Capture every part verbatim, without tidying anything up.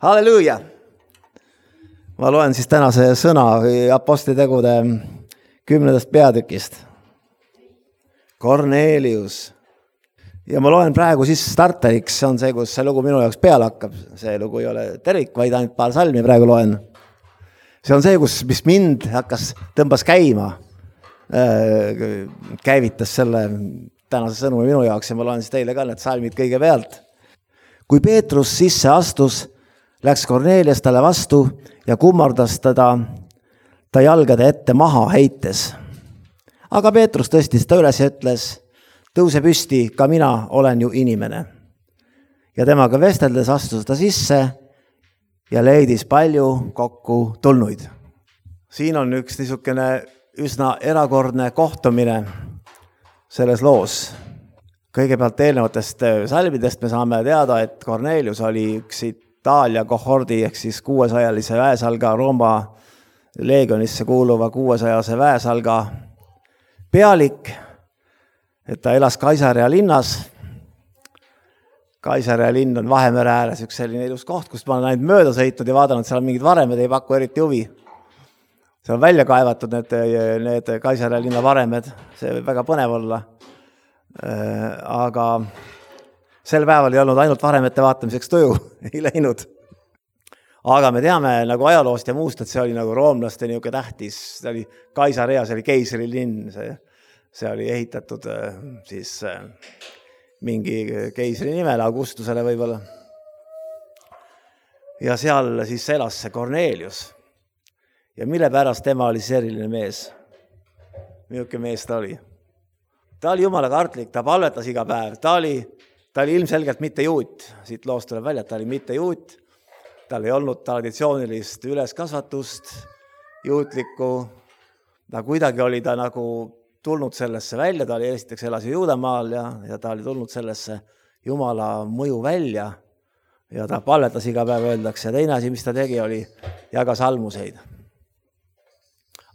Halleluuja! Ma loen siis tänase sõna apostlitegude kümnendast peatükist. Kornelius. Ja ma loen praegu siis starteriks, see on see, kus see lugu minu jaoks peale hakkab. See lugu ei ole tervik, vaid ainult paar salmi praegu loen. See on see, kus mis mind hakkas, tõmbas käima, käivitas selle tänase sõnumi minu jaoks ja ma loen siis teile ka need salmid kõige pealt. Kui Peetrus sisse astus, läks Kornelius talle vastu ja kummardas teda ta jalgade ette maha heites. Aga Peetrus tõstis ta üles ja ütles, tõuse püsti, ka mina olen ju inimene. Ja temaga vesteldes astus ta sisse ja leidis palju kokku tulnuid. Siin on üks niisugune üsna erakordne kohtumine selles loos. Kõigepealt eelnevatest salmidest me saame teada, et Kornelius oli üks Itaalia kohordi ehk siis kuuesajalise väesalga Rooma leegionisse kuuluva kuuesajase väesalga pealik, et ta elas Kaisarea linnas. Kaisarea linn on Vahemere ääres üks selline ilus koht, kust ma olen ainult mööda sõitnud ja vaadanud, seal on mingid varemed, ei paku eriti huvi. See on välja kaevatud need, need Kaisarea linna varemed, see võib väga põnev olla. Aga sel päeval ei olnud ainult varemete vaatamiseks tuju, ei läinud. Aga me teame nagu ajaloost ja muust, et see oli nagu roomlaste niuke tähtis, see oli Kaisarea, see oli keisri linn, see, see oli ehitatud siis mingi keisri nimele, Augustusele võib-olla. Ja seal siis elas see Kornelius. Ja mille pärast tema oli seriline mees? Milline mees ta oli? Ta oli jumala kartlik, ta palvetas iga päev. Ta oli, ta oli ilmselgelt mitte juut. Siit loost tuleb välja, ta oli mitte juut. Tal ei olnud traditsioonilist üleskasvatust, juutlikku. Ta kuidagi oli ta nagu tulnud sellesse välja. Ta oli esiteks elas Juudamaal ja, ja ta oli tulnud sellesse jumala mõju välja. Ja ta palvetas iga päev öeldakse. Ja teine asi, mis ta tegi, oli jagas almuseid.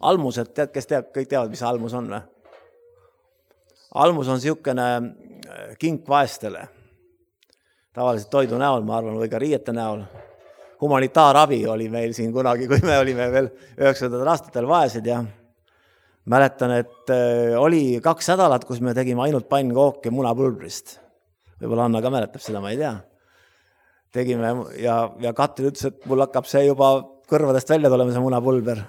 Almused, tead, kes teab, kõik teavad, mis almus on või? Almus on siukene kink vaestele. Tavaliselt toidu näol, ma arvan, või ka riiete näol. Humanitaarabi oli meil siin kunagi, kui me olime veel üheksakümnendatel aastatel vaesed ja mäletan, et oli kaks nädalat, kus me tegime ainult pannkooki munapulbrist. Võib-olla Anna ka mäletab seda, ma ei tea. Tegime ja, ja Katrin ütles, et mul hakkab see juba kõrvadest välja tulema see munapulber.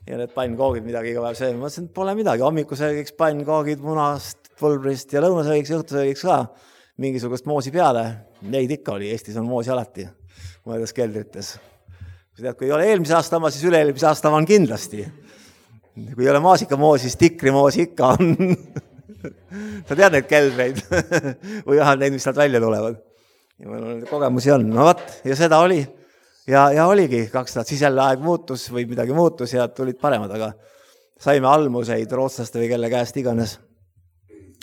Ja need pannkoogid midagi iga päev sööma. Ma mõtlesin, et pole midagi. Hommiku söögiks pannkoogid munast, pulbrist ja lõunasöögiks, õhtusöögiks ka mingisugust moosi peale. Neid ikka oli, Eestis on moosi alati mõedas keldrites. Kui ei ole eelmise aasta oma, siis üle-eelmise aasta on kindlasti. Kui ei ole maasikamaoosi, siis tikrimoosi ikka on. Sa tead neid keldreid või jah, neid, mis sealt välja tulevad. Ja meil kogemusi on. No vaat, ja seda oli. Ja, ja oligi kaks nädalat, siis jälle aeg muutus või midagi muutus ja tulid paremad, aga saime almuseid rootslaste või kelle käest iganes.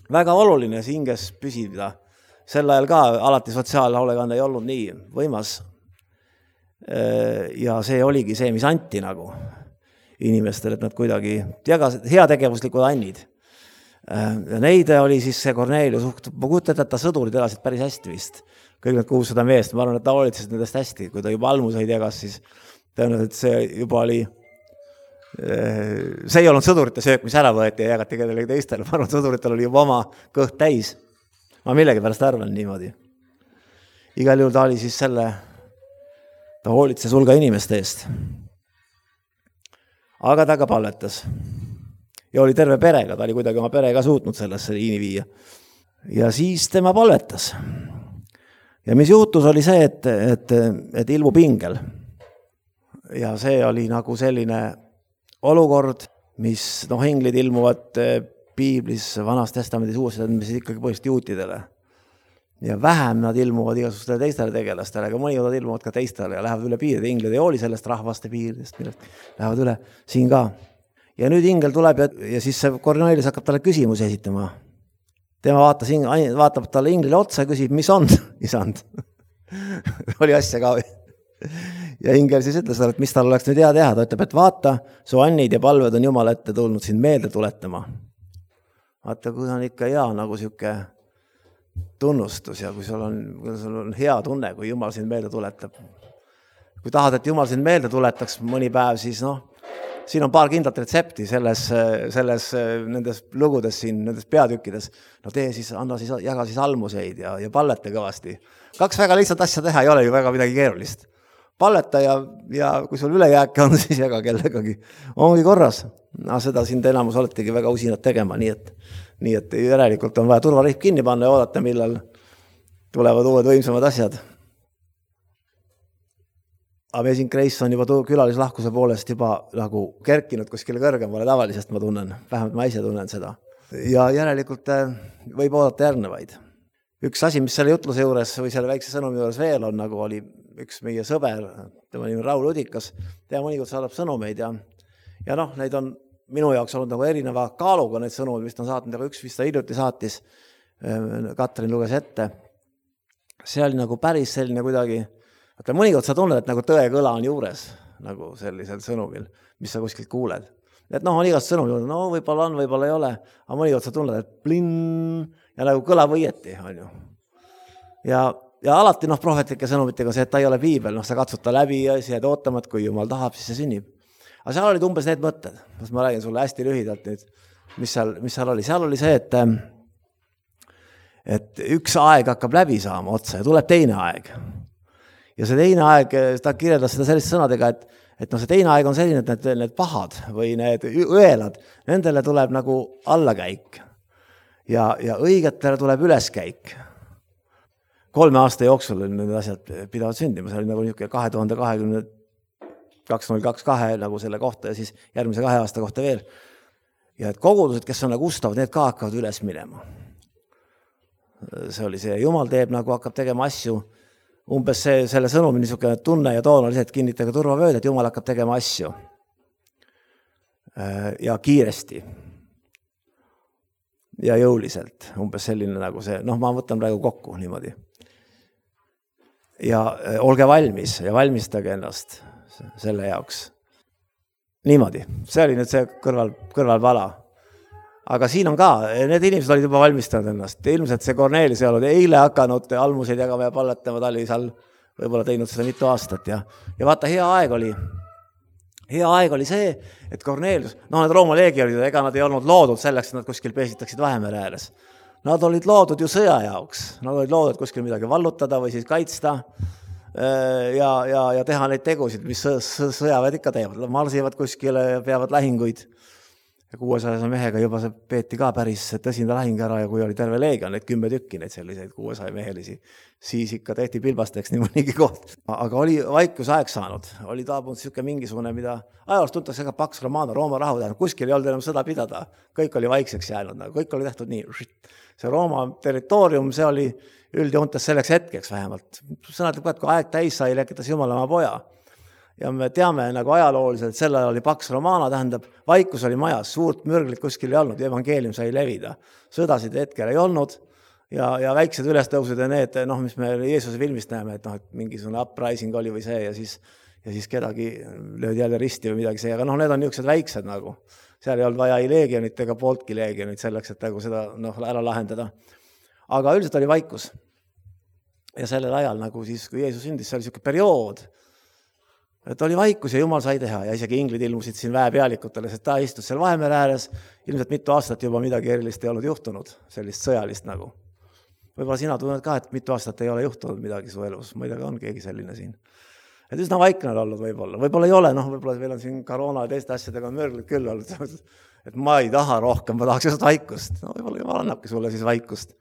Väga oluline hinges püsida. Sel ajal ka alati sotsiaalhoolekanne ei olnud nii võimas. Ja see oligi see, mis anti nagu inimestele, et nad kuidagi jagas heategevuslikud annid. Ja neid oli siis see Kornelius, ma kujutan, et ta sõdurid elasid päris hästi vist. Kõik need kuussada meest, ma arvan, et ta hoolitses nendest hästi. Kui ta juba almuseid jagas, siis tõenäoliselt see juba oli, see ei olnud sõdurite söök, mis ära võeti ja jagati kellelegi teistele. Ma arvan, et sõduritel oli juba oma kõht täis. Ma millegi pärast arvan niimoodi. Igal juhul ta oli siis selle, ta hoolitses hulga inimeste eest. Aga ta ka palvetas. Ja oli terve perega, ta oli kuidagi oma perega suutnud sellesse liini viia. Ja siis tema palvetas. Ja mis juhtus oli see, et, et, et ilmub ingel. Ja see oli nagu selline olukord, mis noh, inglid ilmuvad piiblis, vanas testamendis, uues mis ikkagi põhjust juutidele. Ja vähem nad ilmuvad igasugustele teistele tegelastele, aga mõnikord ilmuvad ka teistele ja lähevad üle piiride. Inglid ei hooli sellest rahvaste piiridest, millest lähevad üle siin ka. Ja nüüd ingel tuleb ja, ja siis see Kornelius hakkab talle küsimusi esitama. Tema vaatas, vaatab talle inglile otsa ja küsib, mis on, isand. oli asja ka. Ja ingel siis ütles talle, et mis tal oleks nüüd hea teha. Ta ütleb, et vaata, su annid ja palved on Jumal ette tulnud sind meelde tuletama. Vaata, kui on ikka hea nagu siuke tunnustus ja kui sul on, kui sul on hea tunne, kui Jumal sind meelde tuletab. Kui tahad, et Jumal sind meelde tuletaks mõni päev, siis noh, siin on paar kindlat retsepti selles, selles nendes lugudes siin, nendes peatükkides. No tee siis, anna siis, jaga siis almuseid ja, ja palleta kõvasti. Kaks väga lihtsalt asja teha ei ole ju väga midagi keerulist. Palleta ja, ja kui sul ülejääke on, siis jaga kellegagi. Ongi korras. No, seda sind enamus oletegi väga usinad tegema, nii et, nii et järelikult on vaja turvariht kinni panna ja oodata, millal tulevad uued võimsamad asjad. Amazing Grace on juba külalislahkuse poolest juba nagu kerkinud kuskile kõrgemale tavalisest, ma tunnen. Vähemalt ma ise tunnen seda. Ja järelikult võib oodata järgnevaid. Üks asi, mis selle jutluse juures või selle väikse sõnumi juures veel on, nagu oli üks meie sõber, tema nimi Raul Udikas, tema mõnikord saadab sõnumeid ja, ja noh, neid on minu jaoks olnud nagu erineva kaaluga neid sõnumid, mis ta on saatnud, aga üks, mis ta hiljuti saatis, Katrin luges ette. See oli nagu päris selline kuidagi, et mõnikord sa tunned, et nagu tõe kõla on juures, nagu sellisel sõnumil, mis sa kuskilt kuuled. Et noh, on igast sõnumil, no võib-olla on, võib-olla ei ole, aga mõnikord sa tunned, et plinn ja nagu kõlab õieti, on ju. Ja, ja alati noh, prohvetlike sõnumitega see, et ta ei ole piibel, noh, sa katsud ta läbi ja siis jääd ootama, et kui Jumal tahab, siis see sünnib. Aga seal olid umbes need mõtted, mis ma räägin sulle hästi lühidalt nüüd, mis seal, mis seal oli. Seal oli see, et, et üks aeg hakkab läbi saama otsa ja tuleb teine aeg. Ja see teine aeg, ta kirjeldas seda selliste sõnadega, et, et no see teine aeg on selline, et need, need pahad või need õelad, nendele tuleb nagu allakäik ja, ja õigetele tuleb üleskäik. Kolme aasta jooksul need asjad pidavad sündima, see oli nagu niisugune kahe tuhande kahekümne kaks null kaks kahe nagu selle kohta ja siis järgmise kahe aasta kohta veel. Ja et kogudused, kes on nagu ustavad, need ka hakkavad üles minema. See oli see, Jumal teeb nagu hakkab tegema asju, umbes see, selle sõnumi niisugune tunne ja toon oli see, et kinnitage turvavööd, et Jumal hakkab tegema asju. Ja kiiresti. Ja jõuliselt. Umbes selline nagu see, noh ma võtan praegu kokku niimoodi. Ja olge valmis ja valmistage ennast selle jaoks. Niimoodi. See oli nüüd see kõrval, kõrvalpala. Aga siin on ka, need inimesed olid juba valmistanud ennast. Ilmselt see Kornelis ei olnud eile hakanud almuseid jagama ja palletama, ta oli seal võib-olla teinud seda mitu aastat. Ja, ja vaata, hea aeg oli, hea aeg oli see, et Kornelius, noh, need Rooma leegionid, ega nad ei olnud loodud selleks, et nad kuskil peesitaksid Vahemere ääres. Nad olid loodud ju sõja jaoks. Nad olid loodud kuskil midagi vallutada või siis kaitsta ja, ja, ja teha neid tegusid, mis sõjaväed ikka teevad. Marsivad kuskile ja peavad lähinguid. Ja kuuesaja mehega juba see peeti ka päris tõsine lahing ära ja kui oli terve leegion, neid kümme tükki, neid selliseid kuuesaja mehelisi, siis ikka tehti pilbasteks nii mõnigi koht. Aga oli vaikusaeg saanud, oli taabunud siuke mingisugune, mida ajaloos tuntakse ka Pax Romana, Rooma rahu tähendab, kuskil ei olnud enam sõda pidada, kõik oli vaikseks jäänud, kõik oli tehtud nii. See Rooma territoorium, see oli üldjoontes selleks hetkeks vähemalt. Sõnad lõpeb, kui aeg täis sai, lekitas Jumal oma poja. Ja me teame nagu ajalooliselt, selle oli Pax Romana, tähendab, vaikus oli majas, suurt mürglit kuskil ei olnud, evangeelium sai levida. Sõdasid hetkel ei olnud ja, ja väiksed ülestõusud ja need, noh, mis me Jeesuse filmist näeme, et noh, et mingisugune uprising oli või see ja siis, ja siis kedagi löödi jälle risti või midagi see, aga noh, need on niisugused väiksed nagu. Seal ei olnud vaja ei leegionit ega pooltki leegionit selleks, et nagu seda noh, ära lahendada. Aga üldiselt oli vaikus. Ja sellel ajal nagu siis, kui Jeesus sündis, see oli niisugune periood, et oli vaikus ja Jumal sai teha ja isegi inglid ilmusid siin väepealikutele, sest ta istus seal Vahemere ääres, ilmselt mitu aastat juba midagi erilist ei olnud juhtunud, sellist sõjalist nagu. Võib-olla sina tunned ka, et mitu aastat ei ole juhtunud midagi su elus, ma ei tea, on keegi selline siin. Et üsna vaikne on olnud võib-olla, võib-olla ei ole, noh, võib-olla meil on siin koroona ja teiste asjadega on mörglid küll olnud, et ma ei taha rohkem, ma tahaks just vaikust, no võib-olla Jumal annabki sulle siis vaikust.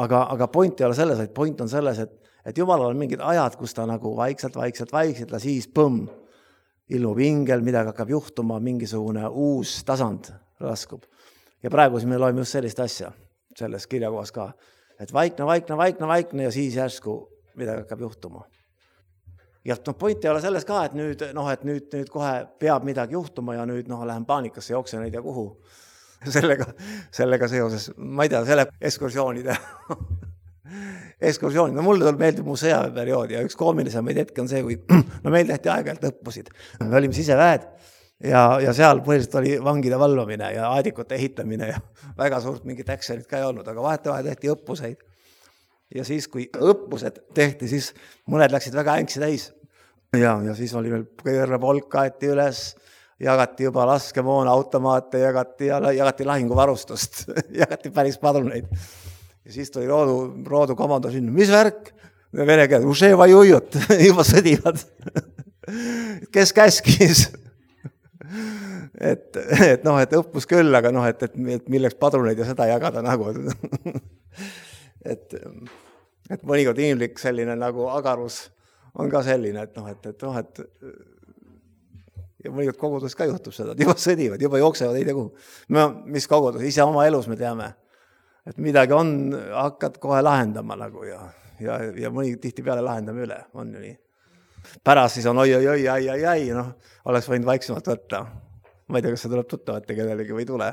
Aga, aga point ei ole selles, vaid point on selles, et et Jumalal on mingid ajad, kus ta nagu vaikselt, vaikselt, vaikselt ja siis põmm, ilmub ingel, midagi hakkab juhtuma, mingisugune uus tasand raskub. Ja praegu siis me loeme just sellist asja, selles kirjakohas ka, et vaikne, vaikne, vaikne, vaikne ja siis järsku midagi hakkab juhtuma. Ja no, point ei ole selles ka, et nüüd, noh, et nüüd, nüüd kohe peab midagi juhtuma ja nüüd noh, lähen paanikasse, jooksen ei tea kuhu. Sellega, sellega seoses, ma ei tea, selle ekskursioonide ekskursioonid, no mulle meeldib mu sõjaväeperiood ja üks koomilisemaid hetki on see, kui no meil tehti aeg-ajalt õppusid. Me olime siseväed ja, ja seal põhiliselt oli vangide valvamine ja aedikute ehitamine ja väga suurt mingit actionit ka ei olnud, aga vahetevahel tehti õppuseid. Ja siis, kui õppused tehti, siis mõned läksid väga ängsi täis. Ja, ja siis oli meil kõrve polk kaeti üles, jagati juba laskemoona, automaate, jagati, jagati lahinguvarustust, jagati päris padruneid. Ja siis tuli roodu, roodu komando sinna, mis värk? Vene keeles, uševa jujut, juba sõdivad. Kes käskis? et, et noh, et õppus küll, aga noh, et, et, et milleks padruneid ja seda jagada nagu. et, et mõnikord inimlik selline nagu agarus on ka selline, et noh, et, et noh, et ja mõnikord kogudus ka juhtub seda, et juba sõdivad, juba jooksevad ei tea kuhu. Me, mis kogudus, ise oma elus me teame, et midagi on, hakkad kohe lahendama nagu ja, ja, ja mõni tihti peale lahendame üle, on ju nii. Pärast siis on oi, oi, oi, ai, ai, ai, noh, oleks võinud vaiksemalt võtta. Ma ei tea, kas see tuleb tuttavate kellelegi või tule.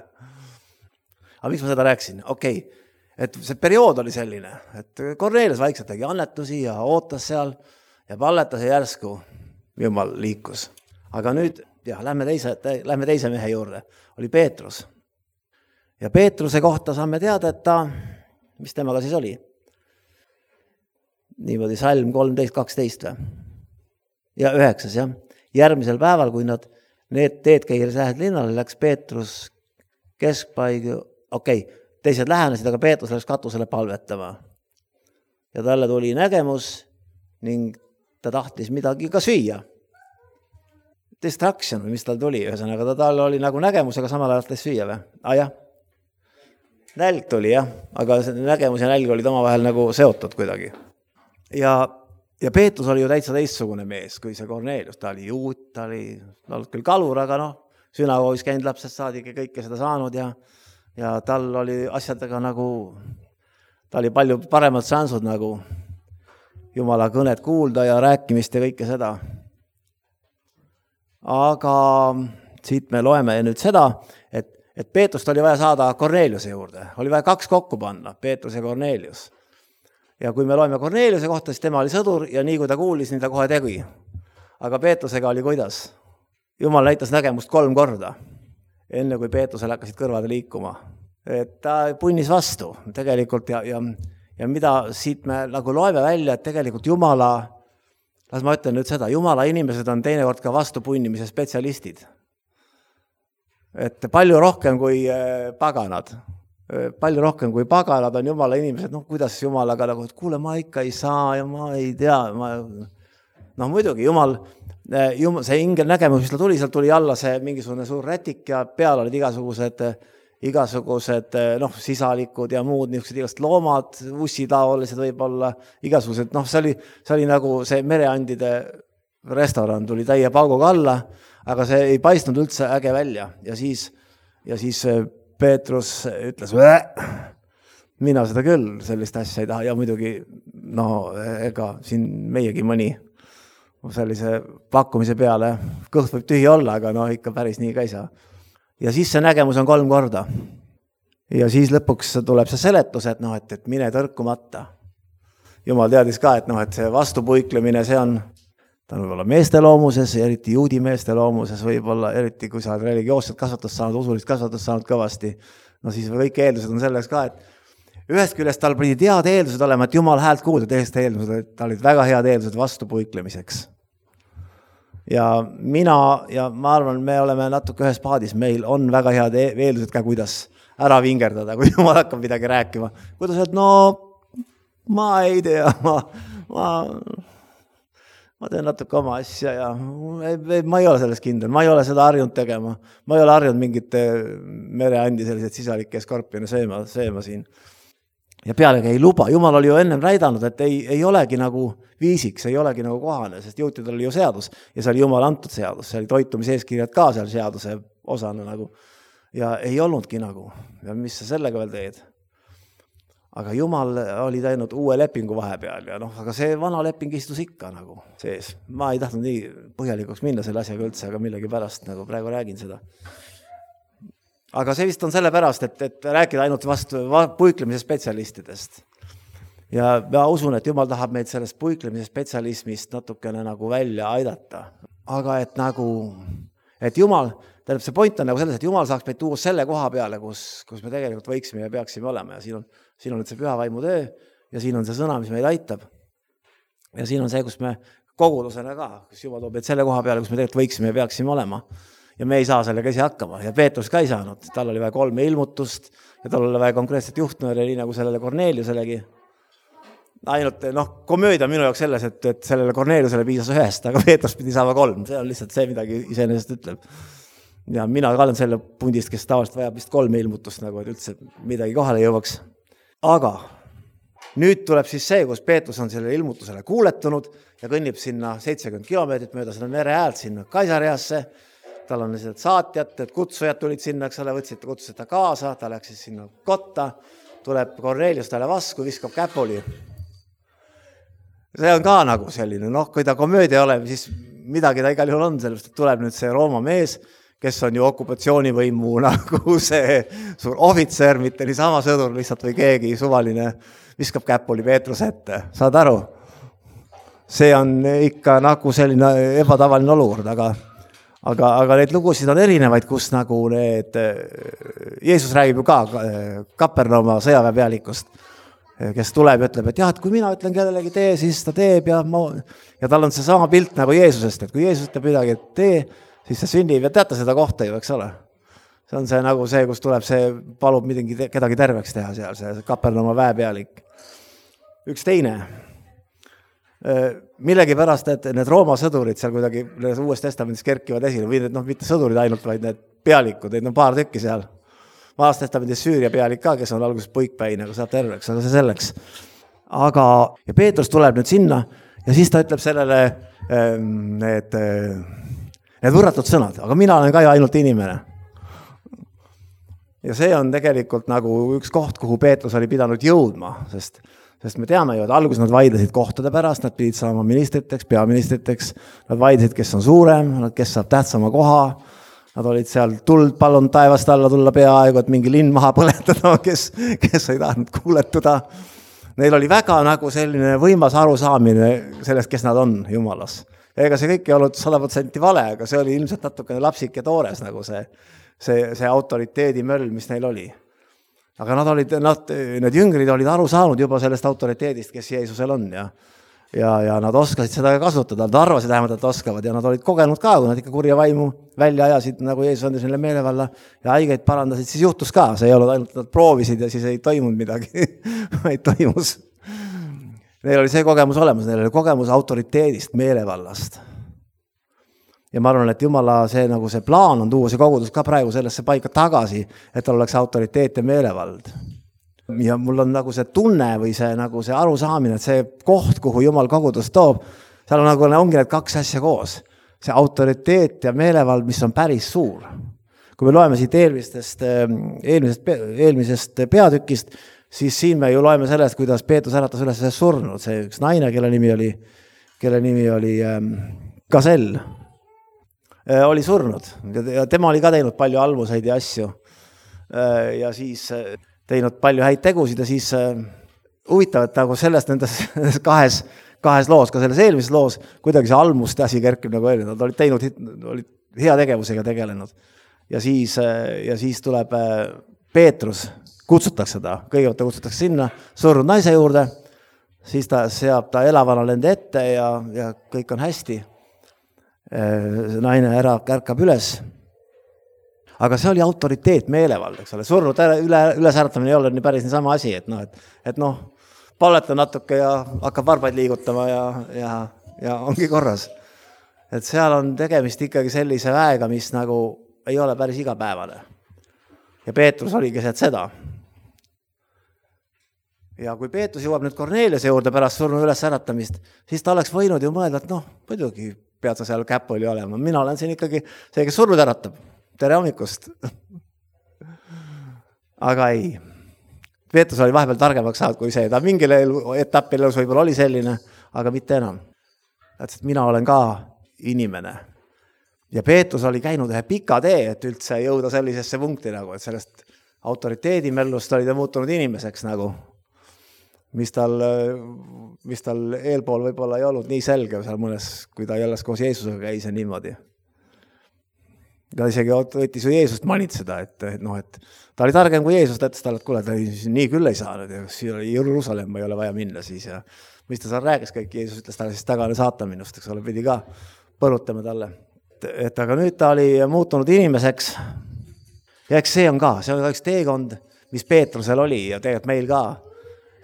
Aga miks ma seda rääksin? Okei, okay. Et see periood oli selline, et Kornelius vaikselt tegi annetusi ja ootas seal ja palletas ja järsku Jumal liikus. Aga nüüd, jah, lähme teise, lähme teise mehe juurde, oli Peetrus. Ja Peetruse kohta saame teada, et ta, mis temaga siis oli? Niimoodi salm kolmteist kaksteist või? Ja üheksas, jah. Järgmisel päeval, kui nad need teed käiles lähed linnale, läks Peetrus keskpaigu, okei, okay, teised lähenesid, aga Peetrus läks katusele palvetama. Ja talle tuli nägemus ning ta tahtis midagi ka süüa. Distraction või mis tal tuli, ühesõnaga ta tal oli nagu nägemus, aga samal ajal tahtis süüa või? Ah, jah. Nälg tuli, jah, aga nägemus ja nälg olid omavahel nagu seotud kuidagi. Ja Ja Peetrus oli ju täitsa teistsugune mees, kui see Kornelius. Ta oli juut, ta oli, ta oli küll kalur, aga noh, sünagoogis käinud lapsest saadik ja kõike seda saanud ja, ja tal oli asjadega nagu, ta oli palju paremad šansud nagu Jumala kõnet kuulda ja rääkimist ja kõike seda. Aga siit me loeme nüüd seda, et, et Peetrust oli vaja saada Korneliuse juurde. Oli vaja kaks kokku panna, Peetrus ja Kornelius. Ja kui me loeme Korneliuse kohta, siis tema oli sõdur ja nii kui ta kuulis, nii ta kohe tegi. Aga Peetrusega oli kuidas? Jumal näitas nägemust kolm korda, enne kui Peetrusel hakkasid kõrvad liikuma. Et ta punnis vastu tegelikult ja, ja, ja mida siit me nagu loeme välja, et tegelikult Jumala, las ma ütlen nüüd seda, Jumala inimesed on teinekord ka vastu punnimise spetsialistid. Et palju rohkem kui paganad. Palju rohkem kui paganad on Jumala inimesed, noh, kuidas Jumalaga nagu, et kuule, ma ikka ei saa ja ma ei tea. Ma... noh, muidugi, Jumal, Jumal, see ingel nägemus, mis ta tuli, seal tuli alla see mingisugune suur rätik ja peal olid igasugused, igasugused noh, sisalikud ja muud niisugused igast loomad, ussitaolised võib-olla, igasugused, noh, see oli, see oli nagu see mereandide restoran tuli täie pauguga alla, aga see ei paistnud üldse äge välja ja siis, ja siis Peetrus ütles, mina seda küll, sellist asja ei taha ja muidugi, no ega siin meiegi mõni sellise pakkumise peale, kõht võib tühi olla, aga no ikka päris nii ka ei saa. Ja siis see nägemus on kolm korda. Ja siis lõpuks tuleb see seletus, et, no, et, et mine tõrkumata. Jumal teadis ka, et, no, et see vastupuiklemine, see on, ta on võib-olla meeste loomuses, eriti juudi meeste loomuses, võib-olla eriti kui sa oled religioosset kasvatust saanud, usulist kasvatust saanud kõvasti, no siis kõik eeldused on selleks ka, et ühest küljest tal pidi head eeldused olema, et Jumal häält kuulda, teisest eeldused, tal olid väga head eeldused vastupuiklemiseks. Ja mina, ja ma arvan, me oleme natuke ühes paadis, meil on väga head eeldused ka, kuidas ära vingerdada, kui Jumal hakkab midagi rääkima. Kuidas öelda, no ma ei tea, ma... ma ma teen natuke oma asja ja ma ei ole selles kindel, ma ei ole seda harjunud tegema. Ma ei ole harjunud mingite mereandi sellised sisalikke skorpione sööma, sööma siin. Ja pealegi ei luba. Jumal oli ju ennem näidanud, et ei, ei olegi nagu viisiks, ei olegi nagu kohane, sest juutidel oli ju seadus ja see oli Jumal antud seadus, see oli toitumiseeskirjad ka seal seaduse osana nagu. Ja ei olnudki nagu. Ja mis sa sellega veel teed? Aga Jumal oli teinud uue lepingu vahepeal ja noh, aga see vana leping istus ikka nagu sees. Ma ei tahtnud nii põhjalikuks minna selle asjaga üldse, aga millegi pärast nagu praegu räägin seda. Aga see vist on selle pärast, et, et rääkida ainult vastu puiklemise spetsialistidest. Ja ma usun, et Jumal tahab meid sellest puiklemise spetsialismist natukene nagu välja aidata. Aga et nagu, et Jumal, tähendab see point on nagu selles, et Jumal saaks meid tuua selle koha peale, kus, kus me tegelikult võiksime ja peaksime olema ja siin on, siin on nüüd see püha vaimu töö ja siin on see sõna, mis meid aitab. Ja siin on see, kus me kogudusena ka, kus Jumal toob meid selle koha peale, kus me tegelikult võiksime ja peaksime olema. Ja me ei saa sellega ise hakkama ja Peetrus ka ei saanud. Tal oli vaja kolme ilmutust ja tal oli vaja konkreetset juhtnööri, nii nagu sellele Korneeliuselegi. Ainult, noh, komöödia minu jaoks selles, et, et sellele Korneeliusele piisas ühest, aga Peetrus pidi saama kolm. See on lihtsalt see, midagi iseenesest ütleb. Ja mina ka olen selle pundist, kes tavaliselt vajab vist kolme ilmutust, nagu et üldse midagi kohale jõuaks. Aga nüüd tuleb siis see, kus Peetrus on selle ilmutusele kuuletunud ja kõnnib sinna seitsekümmend kilomeetrit mööda seda mere äält sinna Kaisareasse. Tal on lihtsalt saatjad, et kutsujad tulid sinna, eks ole, võtsid, kutsusid ta kaasa, ta läks siis sinna kotta, tuleb Korneelius talle vastu, viskab käpuli. See on ka nagu selline, noh, kui ta komöödia oleb, siis midagi ta igal juhul on, sellepärast, et tuleb nüüd see Rooma mees, kes on ju okupatsioonivõimu nagu see suur ohvitser, mitte niisama sõdur lihtsalt või keegi suvaline, viskab käpuli Peetrus ette, saad aru? See on ikka nagu selline ebatavaline olukord, aga Aga, aga neid lugusid on erinevaid, kus nagu need, Jeesus räägib ju ka Kapernauma sõjaväe pealikust, kes tuleb ja ütleb, et jah, et kui mina ütlen kellelegi tee, siis ta teeb ja, ma... ja tal on see sama pilt nagu Jeesusest, et kui Jeesus ütleb midagi, et tee, siis see sünnib ja teate seda kohta ju, eks ole. See on see nagu see, kus tuleb see, palub midagi, kedagi terveks teha seal, see Kapernauma väepealik. Üks teine. Millegi pärast, et need Rooma sõdurid seal kuidagi uues testamendis kerkivad esile, või need, noh, mitte sõdurid ainult, vaid need pealikud, neid on paar tükki seal. Vaas testamendis Süüria pealik ka, kes on alguses puikpäin, aga saab terveks, aga see selleks. Aga, ja Peetrus tuleb nüüd sinna ja siis ta ütleb sellele need, need võrratud sõnad, aga mina olen ka ju ainult inimene. Ja see on tegelikult nagu üks koht, kuhu Peetrus oli pidanud jõudma, sest Sest me teame ju, et alguses nad vaidlesid kohtade pärast, nad pidid saama ministriteks, peaministriteks, nad vaidlesid, kes on suurem, kes saab tähtsama koha, nad olid seal tuld palun taevast alla tulla peaaegu, et mingi linn maha põletada, kes, kes ei tahtnud kuuletuda. Neil oli väga nagu selline võimas arusaamine sellest, kes nad on Jumalas. Ega see kõik ei olnud sada protsenti vale, aga see oli ilmselt natukene lapsik ja toores nagu see, see, see autoriteedi möll, mis neil oli. Aga nad olid, nad, need jüngrid olid aru saanud juba sellest autoriteedist, kes Jeesusel on ja, ja, ja nad oskasid seda kasutada, nad arvasid vähemalt, et oskavad ja nad olid kogenud ka, kui nad ikka kurja vaimu välja ajasid, nagu Jeesus andis neile meelevalla ja haigeid parandasid, siis juhtus ka, see ei olnud ainult, nad proovisid ja siis ei toimunud midagi, vaid toimus. Neil oli see kogemus olemas, neil oli kogemus autoriteedist, meelevallast. Ja ma arvan, et Jumala see, nagu see plaan on tuua see kogudus ka praegu sellesse paika tagasi, et tal oleks autoriteet ja meelevald. Ja mul on nagu see tunne või see, nagu see arusaamine, et see koht, kuhu Jumal kogudus toob, seal on nagu ongi need kaks asja koos. See autoriteet ja meelevald, mis on päris suur. Kui me loeme siit eelmistest, eelmisest, eelmisest peatükist, siis siin me ju loeme sellest, kuidas Peetrus äratas üles surnud. See üks naine, kelle nimi oli, kelle nimi oli ähm, Gasel. Oli surnud ja tema oli ka teinud palju almuseid ja asju ja siis teinud palju häid tegusid ja siis huvitav, et nagu sellest nendes kahes, kahes loos, ka selles eelmises loos, kuidagi see almuste asi kerkib nagu eelmine, nad olid teinud, olid hea tegevusega tegelenud ja siis, ja siis tuleb Peetrus, kutsutakse ta, kõigepealt ta kutsutakse sinna surnud naise juurde, siis ta seab ta elavana nende ette ja, ja kõik on hästi. Naine ära kärkab üles. Aga see oli autoriteet, meelevald, eks ole. Surnud üle, ülesäratamine ei ole nii päris nii sama asi, et noh, et, et noh, paleta natuke ja hakkab varbaid liigutama ja, ja, ja ongi korras. Et seal on tegemist ikkagi sellise väega, mis nagu ei ole päris igapäevane. Ja Peetrus oligi see, et seda. Ja kui Peetrus jõuab nüüd Korneeliuse juurde pärast surnud ülesäratamist, siis ta oleks võinud ju mõelda, et noh, muidugi pead sa seal käpuli olema. Mina olen siin ikkagi see, kes surnud äratab. Tere hommikust. Aga ei. Peetrus oli vahepeal targemaks saanud kui see. Ta mingil etapil elus võib-olla oli selline, aga mitte enam. Et mina olen ka inimene. Ja Peetrus oli käinud ühe pika tee, et üldse jõuda sellisesse punkti, nagu, et sellest autoriteedimellust oli ta muutunud inimeseks nagu. Mis tal, mis tal eelpool võib-olla ei olnud nii selge seal mõnes, kui ta jälle koos Jeesusega käis ja niimoodi. ta isegi võttis ju Jeesust manitseda, et, et, noh, et ta oli targem kui Jeesus, ta ütles talle, et kuule, ta nii küll ei saanud ja Jeruusalemma ei ole vaja minna siis ja mis ta seal rääkis kõik, Jeesus ütles talle siis tagane saatan minust, eks ole, pidi ka põrutama talle. Et, et aga nüüd ta oli muutunud inimeseks ja eks see on ka, see on üks teekond, mis Peetrusel oli ja tegelikult meil ka,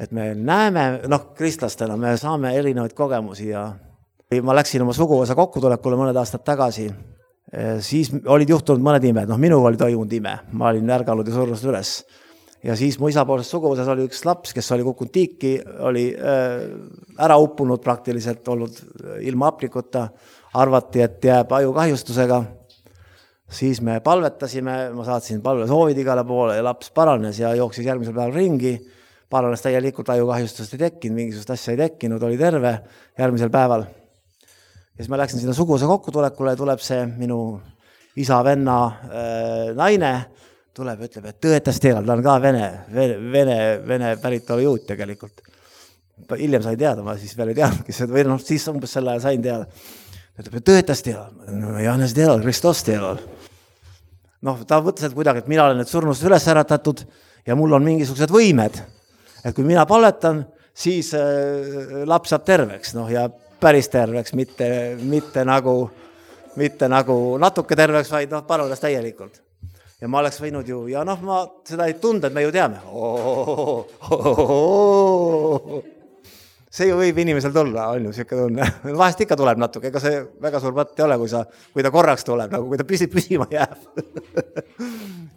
et me näeme, noh, kristlastena me saame erinevaid kogemusi ja ma läksin oma suguvõsa kokkutulekule mõned aastad tagasi. Siis olid juhtunud mõned imed, noh minuga oli toimunud ime, ma olin ärganud ja surnud üles ja siis mu isapoolses suguvõsas oli üks laps, kes oli kukkunud tiiki, oli äh, ära uppunud praktiliselt, olnud ilma aprikuta, arvati, et jääb ajukahjustusega, siis me palvetasime, ma saatsin palve soovid igale poole ja laps paranes ja jooksis järgmisel päeval ringi, paranes täielikult, ajukahjustust ei tekkinud, mingisugust asja ei tekkinud, oli terve järgmisel päeval. Ja siis ma läksin sinna suguvõsa kokkutulekule ja tuleb see minu isa venna äh, naine, tuleb ja ütleb, et tõetas teada, ta on ka vene, vene, vene, vene päritolu juut tegelikult. Hiljem sain teada, ma siis veel ei teadnud, või noh, siis umbes selle sain teada. Ütleb, et tõetas teada, Johannes teada, Kristos teada. Noh, ta võttis, et kuidagi, et mina olen nüüd surnust üles äratatud ja mul on mingisugused võimed, et kui mina palvetan, siis äh, laps saab terveks, noh ja päris terveks, mitte, mitte, nagu, mitte nagu natuke terveks, vaid noh, paranes täielikult. Ja ma oleks võinud ju, ja noh, ma seda ei tunda, et me ju teame. Oh, oh, oh, oh. See ju võib inimesel tulla, on ju siuke tunne. Vahest ikka tuleb natuke, ega see väga suur patt ei ole, kui, sa, kui ta korraks tuleb, nagu kui ta püsib, püsima jääb.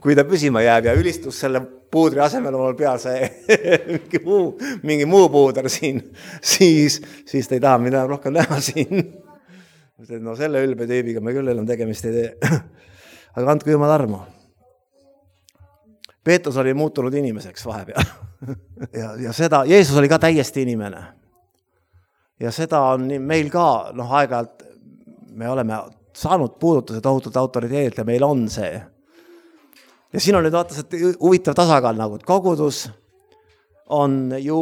Kui ta püsima jääb ja ülistus selle puudri asemel on peal see mingi muu, mingi muu puuder siin, siis, siis ta ei taha mida rohkem näha siin. No selle ülbe tüübiga me küll enam tegemist ei tee. Aga andku jumal armu. Peetrus oli muutunud inimeseks vahepeal. ja, ja seda, Jeesus oli ka täiesti inimene. Ja seda on meil ka, noh aeg-ajalt me oleme saanud puudutuse tohutult autoriteedilt ja meil on see. Ja siin on nüüd vaatas, et huvitav tasakaal nagu, et kogudus on ju,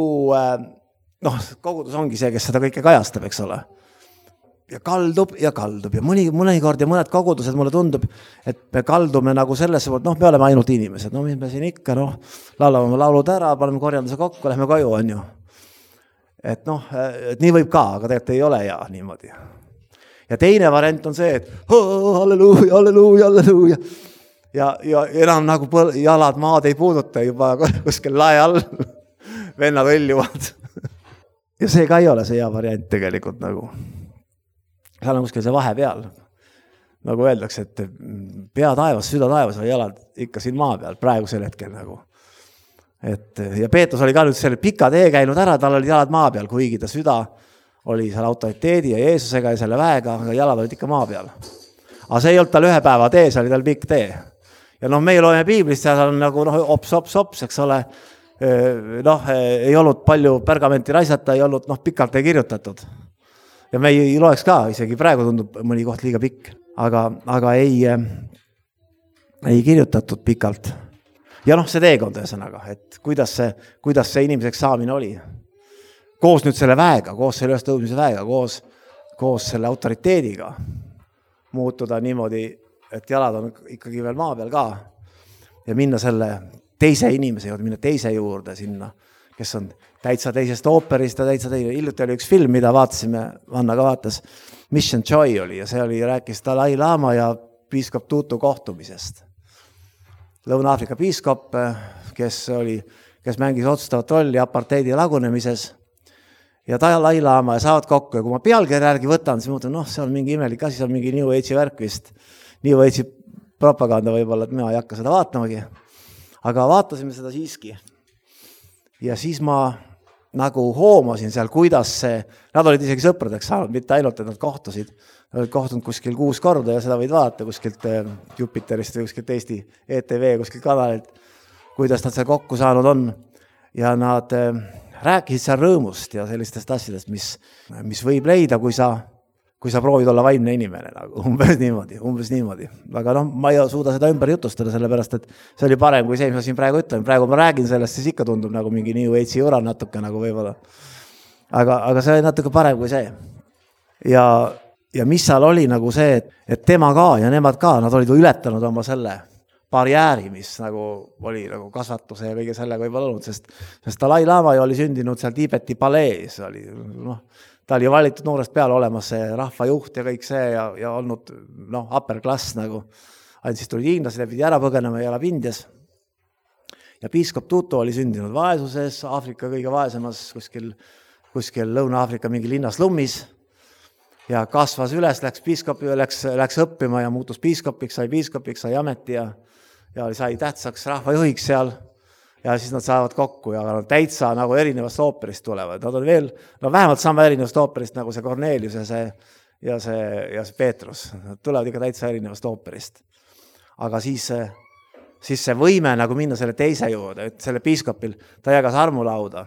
noh, kogudus ongi see, kes seda kõike kajastab, eks ole. Ja kaldub ja kaldub ja mõni, mõni kord ja mõned kogudused mulle tundub, et me kaldume nagu sellesse, et noh, me oleme ainult inimesed, no mis me siin ikka, noh, laulame laulud ära, paneme korjanduse kokku, lähme koju, on ju. Et noh, et nii võib ka, aga tegelikult ei ole ja niimoodi. Ja teine variant on see, et oh, halleluuja, halleluuja, halleluuja. Ja, ja enam nagu põl- jalad maad ei puuduta juba kuskil lae all. Vennad õljuvad. Ja see ka ei ole see hea variant tegelikult nagu. Seal on kuskil see vahe peal. Nagu öeldakse, et pea taevas, süda taevas või jalad ikka siin maa peal praegusel hetkel nagu. Et, ja Peetrus oli ka nüüd selle pika tee käinud ära, tal oli jalad maa peal, kuigi ta süda oli seal autoriteedi ja Jeesusega ja selle väega, aga jalad olid ikka maa peal. Aga see ei olnud tal ühe päeva tee, see oli tal pikk tee. Ja noh, meie loeme Piiblist, seal on nagu noh, ops, ops, ops, eks ole, noh, ei olnud palju pergamenti raisata, ei olnud noh, pikalt ei kirjutatud. Ja me ei loeks ka, isegi praegu tundub mõni koht liiga pikk, aga, aga ei, ei kirjutatud pikalt. Ja noh, see teekond ühesõnaga, et kuidas see, kuidas see inimeseks saamine oli. Koos nüüd selle väega, koos selle ülestõusmise väega, koos, koos selle autoriteediga muutuda niimoodi, et jalad on ikkagi veel maa peal ka ja minna selle teise inimese juurde, minna teise juurde sinna, kes on täitsa teisest ooperist ja täitsa teine. Hiljuti oli üks film, mida vaatasime, Vanna ka vaatas, Mission Joy oli ja see oli, rääkis Dalai Lama ja piiskop Tutu kohtumisest. Lõuna-Aafrika piiskop, kes oli, kes mängis otsustavat rolli aparteidi lagunemises ja Dalai Lama ja saavad kokku ja kui ma pealkirja järgi võtan, siis mõtlen, noh, see on mingi imelik asi, see on mingi New Age'i värk vist, New Age'i propaganda võib-olla, et mina ei hakka seda vaatamagi, aga vaatasime seda siiski ja siis ma nagu hoomasin seal, kuidas see, nad olid isegi sõpradeks saanud, mitte ainult, et nad kohtusid, nad olid kohtunud kuskil kuus korda ja seda võid vaadata kuskilt Jupiterist või kuskilt Eesti E T V kuskilt kanalilt, kuidas nad seal kokku saanud on ja nad rääkisid seal rõõmust ja sellistest asjadest, mis, mis võib leida, kui sa, kui sa proovid olla vaimne inimene, nagu umbes niimoodi, umbes niimoodi. Aga noh, ma ei suuda seda ümber jutustada, sellepärast, et see oli parem kui see, mis ma siin praegu ütlen. Praegu ma räägin sellest, siis ikka tundub nagu mingi New Age'i ura natuke nagu võib-olla. Aga, aga see oli natuke parem kui see. Ja ja mis seal oli nagu see, et, et tema ka ja nemad ka, nad olid ületanud oma selle barjääri, mis nagu oli nagu kasvatuse ja kõige sellega võib-olla olnud, sest, sest Dalai Lama ju oli sündinud seal Tiibeti palees, oli, noh, ta oli valitud noorest peale olemas see rahvajuht ja kõik see ja, ja olnud noh, upper class nagu, ainult siis tulid hiinlased ja pidi ära põgenema ja elab Indias. Ja piiskop Tutu oli sündinud vaesuses, Aafrika kõige vaesemas kuskil, kuskil Lõuna-Aafrika mingi linnas lummis ja kasvas üles, läks piiskopi, läks, läks õppima ja muutus piiskopiks, sai piiskopiks, sai ameti ja, ja sai tähtsaks rahvajuhiks seal ja siis nad saavad kokku ja nad täitsa nagu erinevast ooperist tulevad. Nad on veel, no vähemalt sama erinevast ooperist nagu see Cornelius ja see, ja see, ja see Peetrus. Nad tulevad ikka täitsa erinevast ooperist. Aga siis, siis see võime nagu minna selle teise juurde, et selle piiskopil, ta jagas armulauda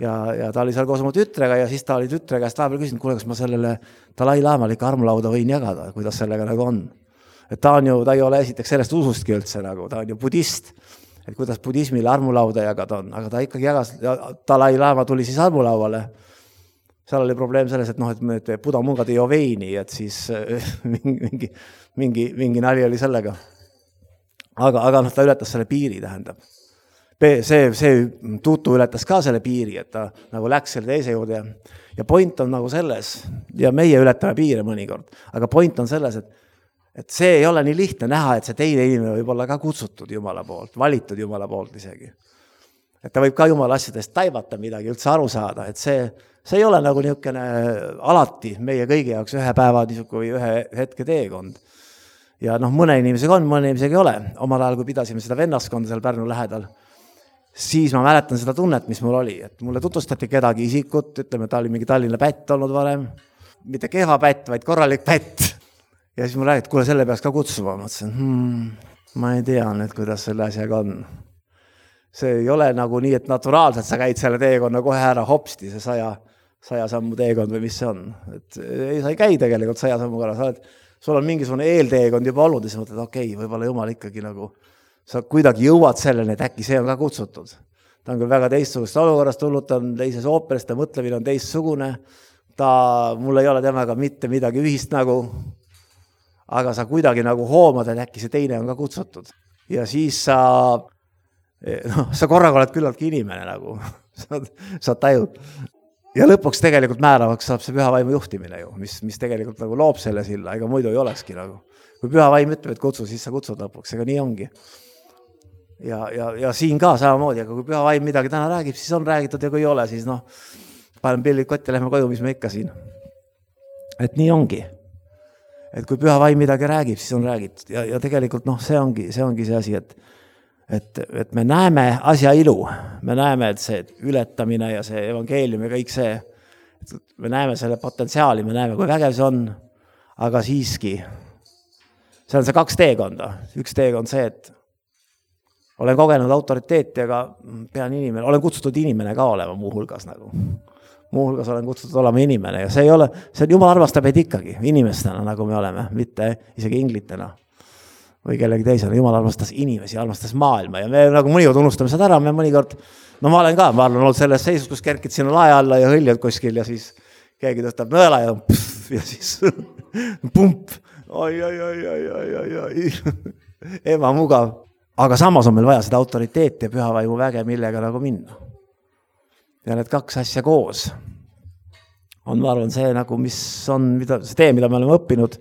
ja, ja ta oli seal koos oma tütrega ja siis ta oli tütre käest vahepeal küsinud, kuule, kas ma sellele Dalai Lamal ikka armulauda võin jagada, kuidas sellega nagu on. Et ta on ju, ta ei ole esiteks sellest usustki üldse nagu, ta on ju budist, et kuidas budismile armulauda jagada on, aga ta ikkagi jagas, Dalai Lama tuli siis armulauale. Seal oli probleem selles, et noh, et Buda mungad ei joo veini, et siis mingi, mingi, mingi nali oli sellega. Aga, aga noh, ta ületas selle piiri, tähendab. See, see Tutu ületas ka selle piiri, et ta nagu läks selle teise juurde. Ja point on nagu selles, ja meie ületame piire mõnikord, aga point on selles, et et see ei ole nii lihtne näha, et see teine inimene võib olla ka kutsutud Jumala poolt, valitud Jumala poolt isegi. Et ta võib ka Jumala asjadest taibata midagi, üldse aru saada, et see, see ei ole nagu niisugune alati meie kõigi jaoks ühe päeva või ühe hetke teekond. Ja noh, mõne inimesega on, mõne inimesega ei ole. Omal ajal, kui pidasime seda vennaskonda seal Pärnu lähedal, siis ma mäletan seda tunnet, mis mul oli. Et mulle tutvustati kedagi isikut, ütleme, ta oli mingi Tallinna pätt olnud varem, mitte kehva pätt, vaid korralik pätt. Ja siis ma räägin, et kuule, selle peaks ka kutsuma. Ma mõtlesin, hmm, ma ei tea nüüd, kuidas selle asjaga on. See ei ole nagu nii, et naturaalselt sa käid selle teekonna kohe ära hopsti, see saja, saja sammu teekond või mis see on. Et ei, sa ei käi tegelikult saja sammu korra. Sa oled, sul on mingisugune eelteekond juba olnud ja sa mõtled, okei, okay, võib-olla Jumal ikkagi nagu, sa kuidagi jõuad selleni, et äkki see on ka kutsutud. Ta on küll väga teistsugust olukorrast tulnud, ta on teises ooperist, ta mõtlemine on teistsugune. Ta, mul ei ole temaga mitte midagi ühist nagu, aga sa kuidagi nagu hoomad, et äkki see teine on ka kutsutud. Ja siis sa, no, sa korraga oled küllaltki inimene nagu, sa, sa tajud. Ja lõpuks tegelikult määravaks saab see püha vaimu juhtimine ju, mis, mis tegelikult nagu loob selle silla, ega muidu ei olekski nagu. Kui püha vaim ütleb, et kutsu, siis sa kutsud lõpuks, ega nii ongi. Ja, ja, ja siin ka samamoodi, aga kui püha vaim midagi täna räägib, siis on räägitud ja kui ei ole, siis noh, panen pillid kotti ja lähme koju, mis me ikka siin. Et nii ongi. Et kui püha vaim midagi räägib, siis on räägitud. Ja, ja tegelikult noh, see ongi, see ongi see asi, et, et, et me näeme asja ilu. Me näeme, et see ületamine ja see evangeelium ja kõik see, me näeme selle potentsiaali, me näeme, kui vägev see on, aga siiski, see on see kaks teekonda. Üks teekond see, et olen kogenud autoriteeti, aga pean inimene, olen kutsutud inimene ka olema muu hulgas nagu. Muu hulgas olen kutsutud olema inimene ja see ei ole, see Jumal armastab meid ikkagi inimestena, nagu me oleme, mitte isegi inglitena või kellegi teisena. Jumal armastas inimesi, armastas maailma ja me nagu mõnikord unustame seda ära, me mõnikord, no ma olen ka, ma olen olnud selles seisus, kus kerkid sinna lae alla ja hõljad kuskil ja siis keegi tõstab nõela ja pff, ja siis pump, oi, oi, oi, oi, oi, oi, oi, ema mugav. Aga samas on meil vaja seda autoriteeti ja pühavaimu väge, millega nagu minna. Ja need kaks asja koos on, ma arvan, see nagu, mis on, mida, see tee, mida me oleme õppinud,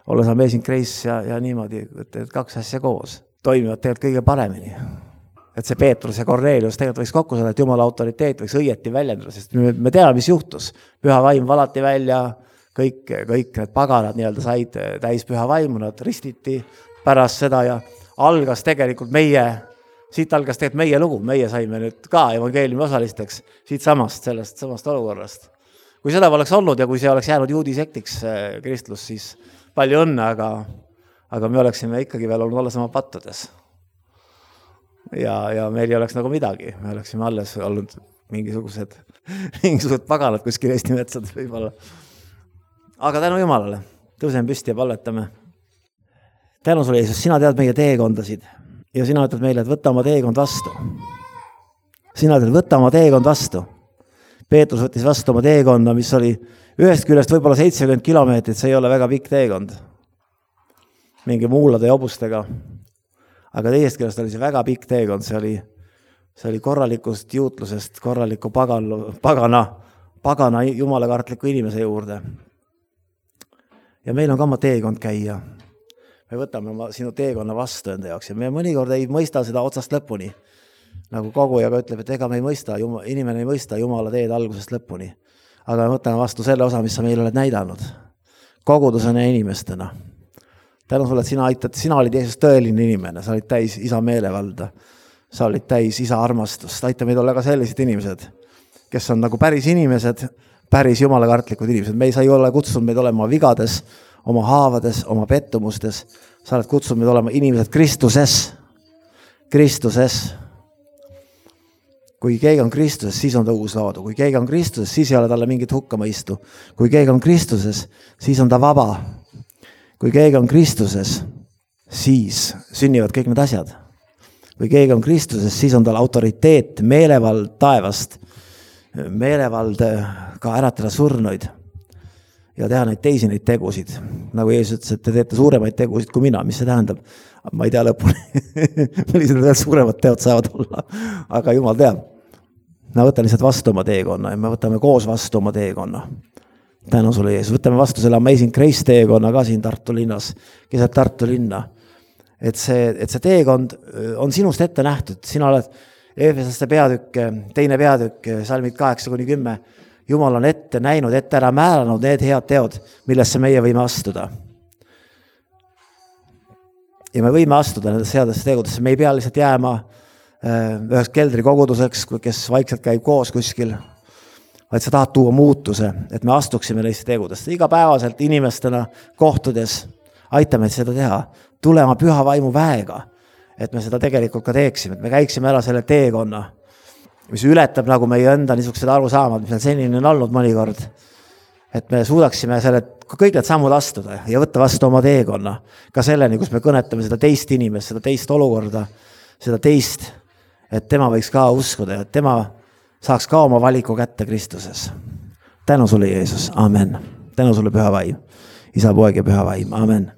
olles Amazing Grace ja, ja niimoodi, et kaks asja koos toimivad tegelikult kõige paremini. Et see Peetrus ja Cornelius tegelikult võiks kokku saada, et Jumala autoriteet võiks õieti väljendada, sest me, me teame, mis juhtus. Püha vaim valati välja, kõik, kõik need paganad nii-öelda said täis püha vaimu, nad ristiti pärast seda ja algas tegelikult meie Siit algas tegelikult meie lugu, meie saime nüüd ka evangeeliumi osalisteks siit samast, sellest samast olukorrast. Kui seda oleks olnud ja kui see oleks jäänud juudi sektiks kristlus, siis palju õnne, aga, aga me oleksime ikkagi veel olnud alles oma pattudes. Ja, ja meil ei oleks nagu midagi, me oleksime alles olnud mingisugused, mingisugused paganad kuskil Eesti metsades võib-olla. Aga tänu Jumalale, tõuseme püsti ja palvetame. Tänu sulle, Jeesus, sina tead meie teekondasid. Ja sina ütled meile, et võta oma teekond vastu. Sina ütled, võta oma teekond vastu. Peetrus võttis vastu oma teekonna, mis oli ühest küljest võib-olla seitsekümmend kilomeetrit, see ei ole väga pikk teekond. Mingi muulade ja hobustega. Aga teisest küljest oli see väga pikk teekond, see oli, see oli korralikust juutlusest, korraliku pagan, pagana, pagana jumalakartliku inimese juurde. Ja meil on ka oma teekond käia. Me võtame oma sinu teekonna vastu enda jaoks ja me mõnikord ei mõista seda otsast lõpuni. Nagu kogujaga ütleb, et ega me ei mõista, inimene ei mõista Jumala teed algusest lõpuni. Aga me võtame vastu selle osa, mis sa meil oled näidanud. Kogudusena ja inimestena. Tänu sulle, et sina aitad, sina olid Jeesus tõeline inimene, sa olid täis isa meelevalda, sa olid täis isa armastust. Aita meid olla ka sellised inimesed, kes on nagu päris inimesed, päris jumalakartlikud inimesed. Me ei saa ju olla kutsunud meid olema vigades, oma haavades, oma pettumustes. Sa oled kutsunud meid olema inimesed Kristuses. Kristuses. Kui keegi on Kristuses, siis on ta uus loodu. Kui keegi on Kristuses, siis ei ole talle mingit hukkamõistu. Kui keegi on Kristuses, siis on ta vaba. Kui keegi on Kristuses, siis sünnivad kõik need asjad. Kui keegi on Kristuses, siis on tal autoriteet, meelevald taevast, meelevald ka äratada surnuid ja teha neid teisi neid tegusid. Nagu Jeesus ütles, et te teete suuremaid tegusid kui mina, mis see tähendab? Ma ei tea lõpuni, millised veel suuremad teod saavad olla, aga Jumal teab. Me võtame lihtsalt vastu oma teekonna ja me võtame koos vastu oma teekonna. Tänu sulle, Jeesus. Võtame vastu selle Amazing Grace teekonna ka siin Tartu linnas, keset Tartu linna. Et see, et see teekond on sinust ette nähtud. Sina oled Eefesaste peatükk, teine peatükk, salmid kaheksa kuni kümme. Jumal on ette näinud, ette ära määranud need head teod, millesse meie võime astuda. Ja me võime astuda nendesse headesse tegudesse. Me ei pea lihtsalt jääma üheks keldri koguduseks, kes vaikselt käib koos kuskil, vaid sa tahad tuua muutuse, et me astuksime neisse tegudesse. Igapäevaselt inimestena kohtudes aitame seda teha. Tulema püha vaimu väega, et me seda tegelikult ka teeksime, et me käiksime ära selle teekonna, mis ületab nagu meie enda niisugused arusaamad, mis meil senini on olnud mõnikord, et me suudaksime selle, kõik need sammud astuda ja võtta vastu oma teekonna, ka selleni, kus me kõnetame seda teist inimest, seda teist olukorda, seda teist, et tema võiks ka uskuda, et tema saaks ka oma valiku kätte Kristuses. Tänu sulle, Jeesus. Amen. Tänu sulle, püha vaim. Isa, poeg ja püha vaim. Amen.